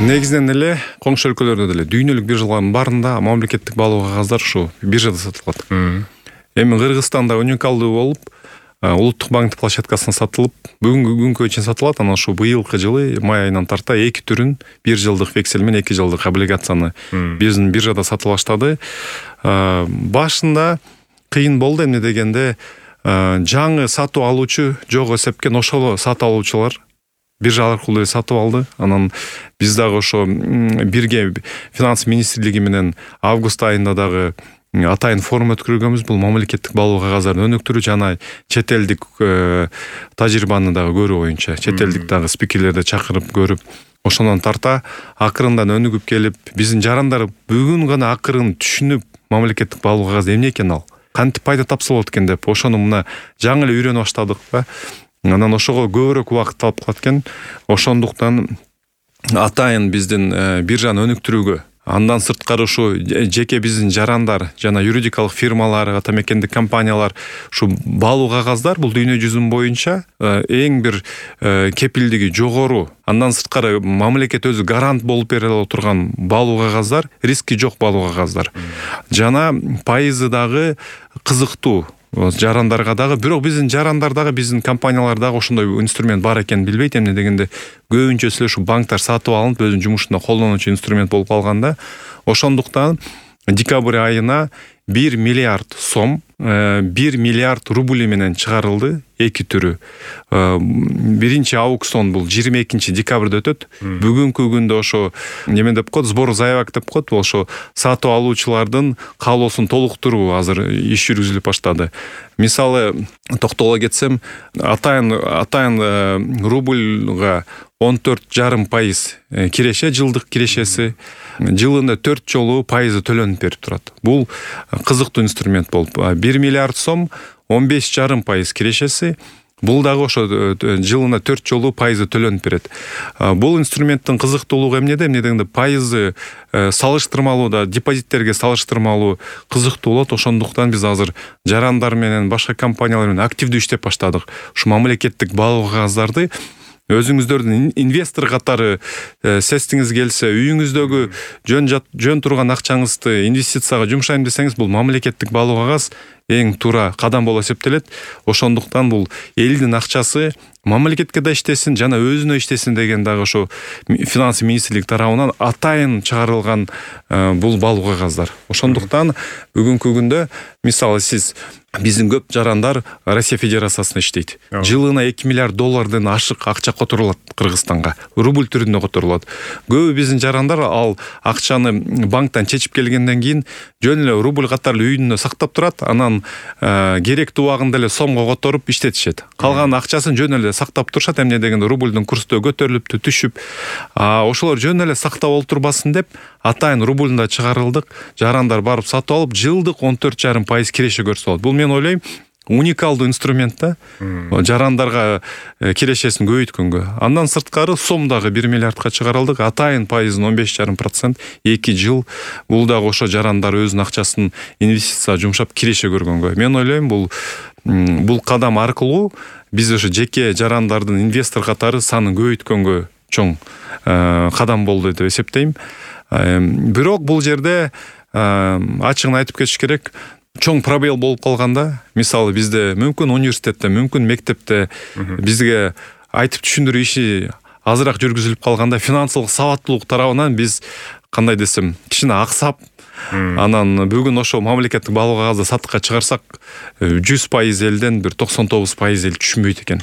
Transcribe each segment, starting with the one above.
Негизинен эле коңшу өлкөлөрдө деле дүйнөлүк биржалардын баарында мамлекеттик баалуу кагаздар ушу биржада сатылат. Эми Кыргызстанда уникалдуу болуп, улуттук банктын площадкасына сатылып, бүгүнкү күнгө чейин сатылат. Анан ушу быйылкы жылы май айынан тарта 2 түрүн 1 жылдык вексель менен 2 жылдык облигацияны биздин биржада сатып баштады. Башында кыйын болду, эмне дегенде жаңы сатып алуучу жок эсепкен ошол сатып алуучулар биржа аркылуу сатып алды. Анан биз дагы ошо бирге финанс министрлиги менен август айында дагы атайын форум өткөргөнбүз. Бул мамлекеттик баалуу кагаздарын өнүктүрүү жана чет элдик тажрыйбаны дагы көрүү боюнча, чет элдик дагы спикерлерди чакырып көрүп, ошондон тарта акырындан өнүгүп келип, биздин жарандар бүгүн гана акырын түшүнүп, мамлекеттик баалуу кагаз эмне экен, ал кантип пайда тапса болот экен деп, ошону мына жаңы эле үйрөнүп баштадык да. Анан ошого көбүрөөк убакыт алып калат экен. Ошондуктан атайын биздин биржаны өнүктүрүүгө, андан сырткары ушу жеке биздин жарандар жана юридикалык фирмалар, ата мекендик компаниялар ушу баалуу кагаздар бул дүйнө жүзүн боюнча эң бир кепилдиги жогору, андан сырткары мамлекет өзү гарант болуп бере турган баалуу кагаздар, риски жок баалуу кагаздар. Жана пайызы дагы кызыктуу жарандарга дагы. Бирок биздин жарандар дагы, биздин компаниялар дагы ошондой инструмент бар экенин билбейт. Эмне дегенде көбүнчөсү ушу банктар сатып алынып, өзүнүн жумушунда колдонуучу инструмент болуп калганда, ошондуктан декабрь айына 1 миллиард сом, 1 миллиард рубль менен чыгарылды 2 түрү. Биринчи аукцион бул 22 декабрда өтөт. Бүгүнкү күндө ошо неме деп коет, сбор заявок деп коет, ошо сатып алуучулардын каалоосун толуктуруу азыр иш жүргүзүлүп баштады. Мисалы токтоло кетсем, атайын рубльга 14,5% киреше, жылдык кирешеси, жылында 4 жолу пайызы төлөнүп берип турат. Бул кызыктуу инструмент болуп, 1 миллиард сом 15,5% кирешеси, бул дагы ошо жылына 4 жолу пайызы төлөнүп берет. Бул инструменттин кызыктуулугу эмнеде? Эмне дегенде пайызы салыштырмалуу да, депозиттерге салыштырмалуу кызыктуу болот. Ошондуктан биз азыр жарандар менен башка компаниялар менен активдүү иштеп баштадык. Ушу мамлекеттик баалуу кагаздарды өзүңүздөрдүн инвестор катары сестиңиз келсе, үйүңүздөгү жөн турган акчаңызды инвестицияга жумшайм десеңиз, бул мамлекеттик баалуу кагаз эң туура кадам болуп эсептелет. Ошондуктан бул элдин акчасы мамлекетке да иштесин, жана өзүнө иштесин деген дагы ошо финанс министрлиги тарабынан атайын чыгарылган бул баалуу кагаздар. Ошондуктан бүгүнкү күндө мисалы сиз, биздин көп жарандар Россия Федерациясында иштейт. Жылына 2 миллиард доллардан ашык акча которулат Кыргызстанга. Рубль түрүндө которулат. Көбү биздин жарандар ал акчаны банктан чечип келгенден кийин жөн эле рубль катары үйүндө сактап турат. Анан керектүү убагында эле сомго которуп иштетишет. Калган акчасын жөн эле сактап турушат. Эмне дегенде рубльдун курсу көтөрүлүп түшүп, ошолор жөн эле сактап олтурбасын деп атайын рубльда чыгарылдык. Жарандар барып сатып алып, жылдык 14,5% киреше көрсө болот. Бул мен ойлойм уникалдуу инструмент да, жарандарга кирешесин көбөйткөнгө. Андан сырткары сом дагы 1 миллиардка чыгарылдык, атайын пайызын 15,5%, 2 жыл. Бул дагы ошо жарандар өзүнүн акчасын инвестицияга жумшап киреше көргөнгө. Мен ойлойм бул кадам аркылуу биз ошо жеке жарандардын инвестор катары санын көбөйткөнгө чоң кадам болду деп эсептейм. Бирок бул жерде ачыгын айтып кетиш керек, чоң пробел болуп калганда, мисалы бизде мүмкүн университетте, мүмкүн мектепте бизге айтып түшүндүрүү иши азыраак жүргүзүлүп калганда, финансылык сабаттуулук тарабынан биз кандай десем, кичине аксап, анан бүгүн ошо мамлекеттик баалуу кагазды сатыкка чыгарсак, 100% элден бир 99% эл түшүнбөйт экен.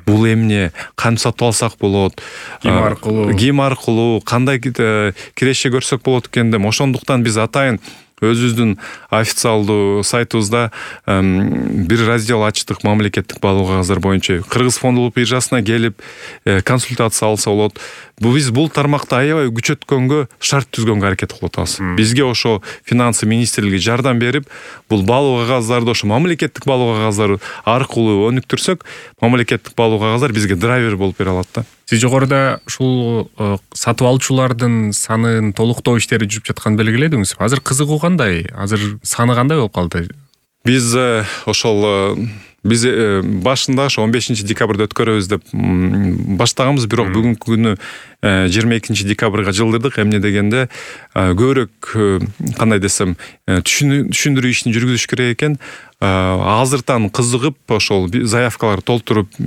Бул эмне, кантип сатып алсак болот, ким аркылуу, кандай киреше көрсөк болот экен деп. Ошондуктан биз атайын өзүбүздүн официалдуу сайтыбызда бир раздел ачтык мамлекеттик баалуу кагаздар боюнча. Кыргыз фондулук биржасына келип консультация алса болот. Биз бул тармакты аябай күчөткөнгө, шарт түзгөнгө аракет кылып атабыз. Бизге ошо финансы министрлиги жардам берип, бул баалуу кагаздарды ошо мамлекеттик баалуу кагаздары аркылуу өнүктүрсөк, мамлекеттик баалуу кагаздар бизге драйвер болуп бере алат да. Сиз жогоруда ушул сатып алуучулардын санын толуктоо иштери жүрүп жатканын белгиледиңиз. Азыр кызыгуу кандай? Азыр саны кандай болуп калды? Биз ошол биз башында ошо 15 декабрда өткөрөбүз деп баштаганбыз, бирок бүгүнкү күнү 22 декабрга жылдырдык. Эмне дегенде көбүрөөк кандай десем түшүндүрүү ишин жүргүзүш керек экен. Азыртан кызыгып ошол заявкаларды толтуруп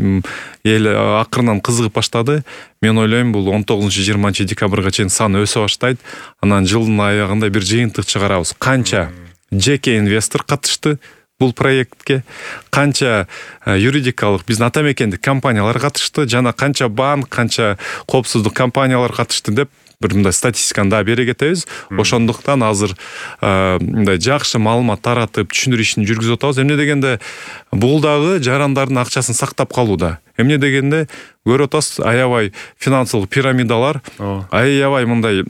эл акырынан кызыгып баштады. Мен ойлойм бул 19-20 декабрга чейин саны өсө баштайт. Анан жылдын аягында бир жыйынтык чыгарабыз. Канча жеке инвестор катышты бул проектке, канча юридикалык биздин ата мекендик компаниялар катышты, жана канча банк, канча коопсуздук компаниялар катышты деп бир мындай статистиканы да бере кетебиз. Ошондуктан азыр мындай жакшы маалымат таратып, түшүндүрүү ишин жүргүзүп атабыз. Эмне дегенде бул дагы жарандардын акчасын сактап калууда. Эмне дегенде көрүп атасыз, аябай финансылык пирамидалар, аябай мындай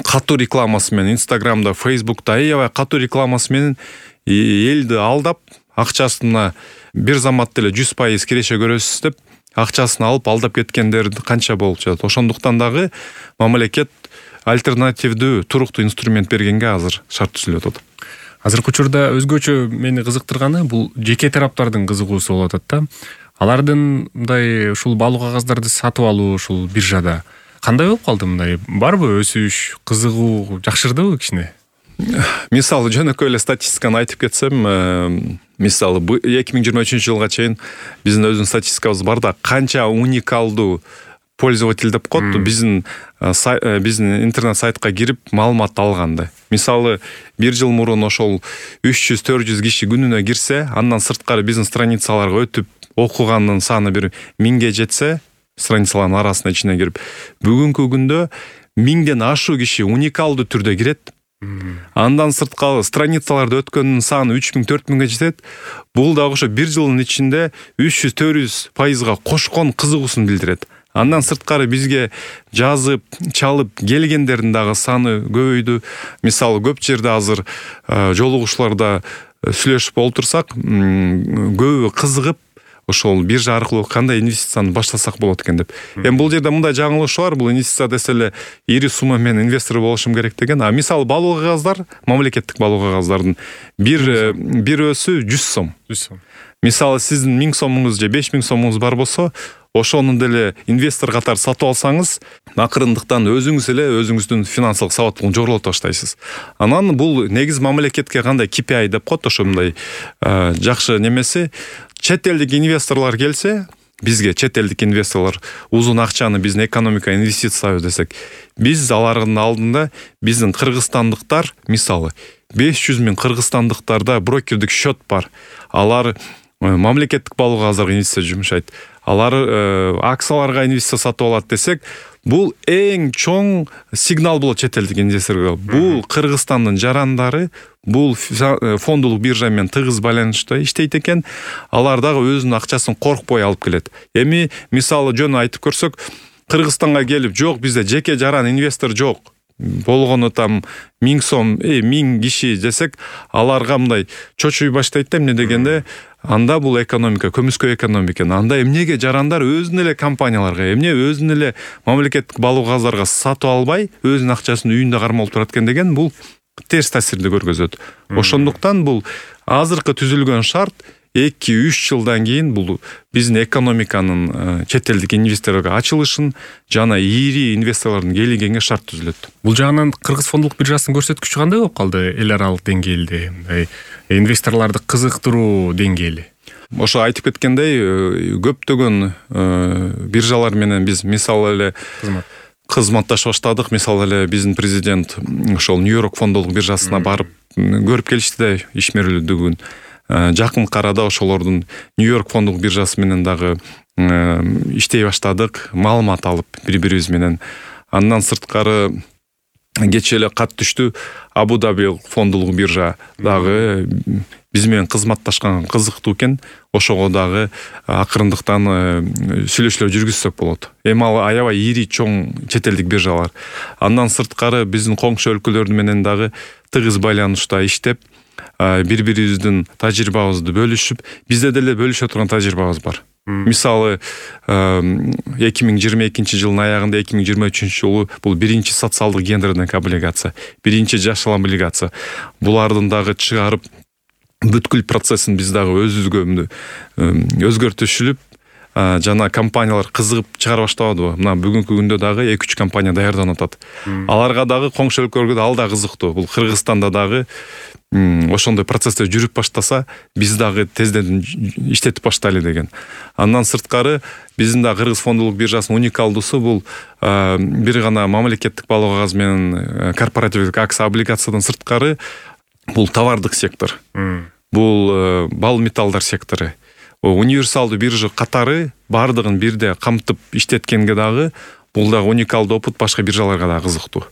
катуу рекламасы менен Инстаграмда, Фейсбукта аябай катуу рекламасы менен элди алдап, акчасына бир замат эле 100% киреше көрөсүз деп акчасын алып алдап кеткендер канча болуп жатат. Ошондуктан дагы мамлекет альтернативдүү туруктуу инструмент бергенге азыр шарт түзүлүп атат. Азыркы учурда өзгөчө мени кызыктырганы бул жеке тараптардын кызыгуусу болуп атат да. Алардын мындай ушул баалуу кагаздарды сатып алуу ушул биржада кандай болуп калды? Мындай барбы өсүш, кызыгуу жакшырдыбы кичине? Мисалы жөнөкөй эле статистиканы айтып кетсем, мисалы 2023 жылга чейин биздин өзүнүн статистикабыз бар да, канча уникалдуу пользователь деп коет, биздин интернет сайтка кирип маалымат алганда. Мисалы бир жыл мурун ошол 300-400 киши күнүнө кирсе, андан сырткары биздин страницаларга өтүп окуганын саны бир 1000ге жетсе, страницалардын арасына ичине кирип, бүгүнкү күндө 1000ден ашуу киши уникалдуу түрдө кирет. Андан сырткары страницаларды өткөндүн саны 3000-4000ге жетет. Бул дагы ошо бир жылдын ичинде 300-400%га кошкон кызыгуусун билдирет. Андан сырткары бизге жазып, чалып келгендердин дагы саны көбөйдү. Мисалы көп жерде азыр жолугушууларда сүйлөшүп олтурсак, көбү кызыгып ошол биржа аркылуу кандай инвестицияны баштасак болот экен деп. Эми бул жерде мындай жаңылыш бар, бул инвестиция десе эле ири сумма менен инвестор болушум керек деген. А мисалы баалуу кагаздар, мамлекеттик баалуу кагаздардын бир өсү 100 сом. Мисалы сиздин 1000 сомуңуз же 5000 сомуңуз бар болсо, ошону деле инвестор катары сатып алсаңыз, акырындыктан өзүңүз эле өзүңүздүн финансылык сабаттуулугун жогорулата баштайсыз. Анан бул негиз мамлекетке кандай KPI деп коет, ошондой жакшы немеси. Чет элдик инвесторлор келсе, бизге чет элдик инвесторлор узун акчаны биздин экономикага инвестициялайбыз десек, биз алардын алдында биздин кыргызстандыктар, мисалы 500 000 кыргызстандыктарда брокердик счет бар. Алар мамлекеттик баалуу кагаздарга инвестиция жумшайт. Алар акцияларга инвестиция сатып алат десек, бул эң чоң сигнал болот чет элдик инвесторго. Бул Кыргызстандын жарандары бул фондулук биржа менен тыгыз байланышта иштейт экен. Алар дагы өзүнүн акчасын коркпой алып келет. Эми мисалы жөн айтып көрсөк, Кыргызстанга келип, жок бизде жеке жаран инвестор жок, болгону там 1000 сом, 1000 киши десек, аларга мындай чочуй баштайт да. Эмне дегенде, анда бул экономика, көмүскө экономика. Анда эмнеге жарандар өзүнүн эле компанияларга, эмне өзүнүн эле мамлекеттик баалуу кагаздарга сатып албай, өзүнүн акчасын үйүндө кармалып турат экен деген, бул терс таасирди көргөзөт. Ошондуктан бул азыркы түзүлгөн шарт 2-3 жылдан кийин бул биздин экономиканын чет элдик инвесторлорго ачылышын жана ири инвесторлордун келгенге шарт түзүлөт. Бул жагынан Кыргыз фондулук биржасынын көрсөткүчү кандай болуп калды эл аралык деңгээлде, инвесторлорду кызыктыруу деңгээли? Ошо айтып кеткендей, көптөгөн биржалар менен биз мисалы эле кызматташа баштадык. Мисалы эле биздин президент ошол Нью-Йорк фондулук биржасына барып көрүп келишти да ишмерлүүлүгүн. Жакынкы арада ошолордун Нью-Йорк фондулук биржасы менен дагы иштей баштадык, маалымат алып бири-бирибиз менен. Андан сырткары кечээ эле кат түштү, Абу-Даби фондулук биржа дагы биз менен кызматташкан кызыктуу экен. Ошого дагы акырындыктан сүйлөшүүлөр жүргүзсөк болот. Эми ал аябай ири чоң чет элдик биржалар. Андан сырткары биздин коңшу өлкөлөр менен дагы тыгыз байланышта иштеп, бири-бирибиздин тажрыйбабызды бөлүшүп, бизде деле бөлүшө турган тажрыйбабыз бар. Мисалы 2022 жылдын аягында 2023 жылы бул биринчи социалдык гендердик облигация, биринчи жашыл облигация. Булардын дагы чыгарып бүткүл процессин биз дагы өзүбүзгө өзгөртүшүлүп, жана компаниялар кызыгып чыгара баштабадыбы? Мына бүгүнкү күндө дагы 2-3 компания даярданып атат. Аларга дагы коңшу өлкөлөргө ал да кызыктуу. Бул Кыргызстанда дагы ошондой процесстер жүрүп баштаса, биз дагы тезден иштетип баштайлы деген. Андан сырткары биздин да Кыргыз фондулук биржасынын уникалдуусу бул бир гана мамлекеттик балоо кагаз менен корпоративдик акция облигациядан сырткары бул товардык сектор. Бул бал металлдар сектору. Универсалдуу биржа катары бардыгын бирде камтып иштеткенге дагы бул дагы уникалдуу опыт, башка биржаларга да кызыктуу.